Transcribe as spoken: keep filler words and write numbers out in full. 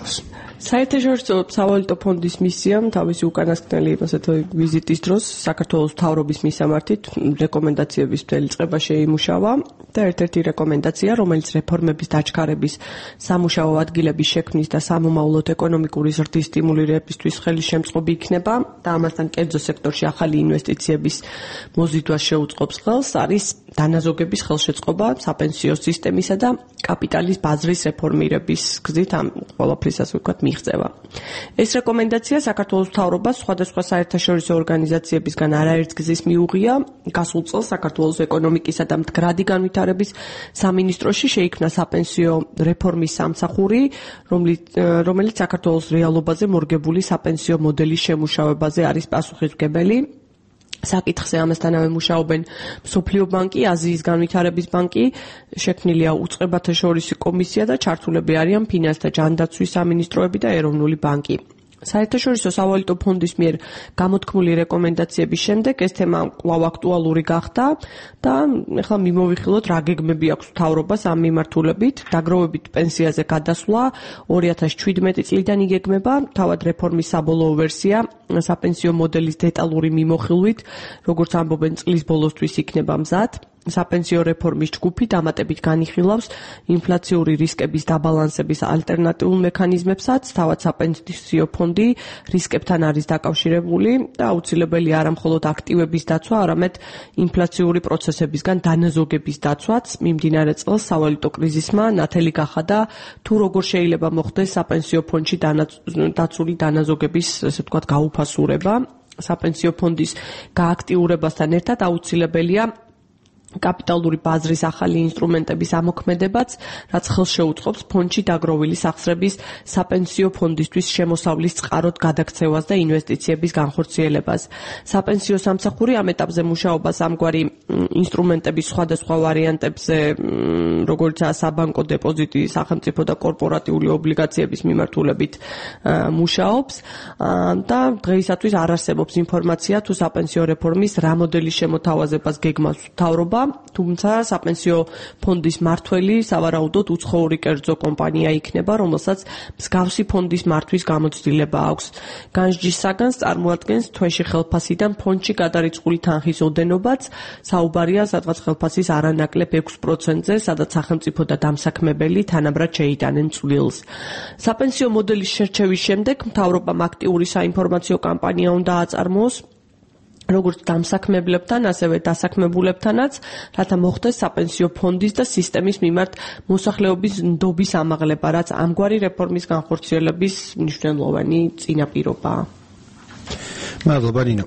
გახსნას. საერთაშორისო სავალუტო ფონდის მისიამ თავისი უკანასკნელი ასეთი ვიზიტის დროს საქართველოს მთავრობის მისამართით რეკომენდაციების მთელი წყება შეიმუშავა და ერთ-ერთი რეკომენდაცია, რომელიც რეფორმების დაჩქარების, სამუშაო ადგილების შექმნის და სამომავლოდ ეკონომიკური ზრდის სტიმულირებისთვის ხელისშემწყობი იქნება და ამასთან კერძო სექტორში ახალი ინვესტიციების მოზიდვას შეუწყობს ხელს, არის დანაზოგების ხელშეწყობა საპენსიო სისტემისა და კაპიტალის ბაზრის რეფორმირების გზით ამ ყველაფრის ასე ვთქვათ მიღწევა. ეს რეკომენდაცია საქართველოს მთავრობას სხვადასხვა საერთაშორისო ორგანიზაციებისგან არაერთ გზის მიუღია. გასულ წელს საქართველოს ეკონომიკისა და მდგრადი განვითარების სამინისტროში შეიქმნა საპენსიო რეფორმის სამსახური, რომელიც საქართველოს რეალობაზე მორგებული საპენსიო მოდელის შემუშავებაზე არის პასუხისმგებელი. საკითხზე ამასთანავე მუშაობენ მსოფლიო ბანკი, აზიის განვითარების ბანკი, შექმნილია უწყებათა შორისი კომისია და ჩართულები არიან ფინანსთა ჯანდაცვის სამინისტროები და ეროვნული ბანკი. საერთაშორისო სავალუტო ფონდის მიერ გამოთქმული რეკომენდაციების შემდეგ ეს თემა კვლავ აქტუალური გახდა და ეხლა მიმოვიხილოთ რა გეგმები აქვს მთავრობას ამ მიმართულებით. დაგროვებით პენსიაზე გადასვლა ორი ათას შვიდმეტი წლიდან იგეგმება, თავად რეფორმის საბოლოო ვერსია საპენსიო მოდელის დეტალური მიმოხილვით, როგორც ამბობენ წლის ბოლოსთვის იქნება მზად. საპენსიო რეფორმის ჯგუფი დამატებით განიხილავს ინფლაციური რისკების დაბალანსების ალტერნატიულ მექანიზმებსაც, თავად საპენსიო ფონდი რისკებთან არის დაკავშირებული და აუცილებელი არა მხოლოდ აქტივების დაცვა, არამედ ინფლაციური პროცესებისგან დანაზოგების დაცვაც. მიმდინარე წელს სავალუტო კრიზისმა ნათელი გახადა თუ როგორ შეიძლება მოხდეს საპენსიო ფონდში დაცული დანაზოგების, ასე ვთქვათ, გაუფასურება. საპენსიო ფონდის გააქტიურებასთან ერთად აუცილებელია კაპიტალური ბაზრის ახალი ინსტრუმენტების ამოქმედებაც, რაც ხელს შეუწყობს ფონდში დაგროვილი სახსრების საპენსიო ფონდისთვის შემოსავლის წყაროდ გადაქცევას და ინვესტიციების განხორციელებას. საპენსიო სამსახური ამ ეტაპზე მუშაობას ამგვარი ინსტრუმენტების სხვადასხვა ვარიანტებზე, როგორიცაა საბანკო დეპოზიტი, სახელმწიფო და კორპორატიული ობლიგაციების მიმართულებით მუშაობს და დღეისათვის არ არსებობს ინფორმაცია თუ საპენსიო რეფორმის რა მოდელის შემოთავაზებას გეგმავს მთავრობა, თუმცა საპენსიო ფონდის მმართველი სავარაუდოდ უცხოური კერძო კომპანია იქნება, რომელსაც მსგავსი ფონდის მართვის გამოცდილება აქვს. განსჯის საგანს წარმოადგენს თვეში ხელფასიდან ფონდში გადარიცხული თანხის ოდენობაც, საუბარია სადღაც ხელფასის არანაკლებ ექვს პროცენტზე, სადაც სახელმწიფო და დამსაქმებელი თანაბრად შეიტანენ წვლილს. საპენსიო მოდელის შერჩევის შემდეგ მთავრობამ აქტიური საინფორმაციო კამპანია უნდა აწარმოოს როგორც დამსაქმებლებთან, ასევე დასაქმებულებთანაც, რათა მოხდეს საპენსიო ფონდის და სისტემის მიმართ მოსახლეობის ნდობის ამაღლება, რაც ამგვარი რეფორმის განხორციელების მნიშვნელოვანი წინაპირობაა. მადლობა, ნინო.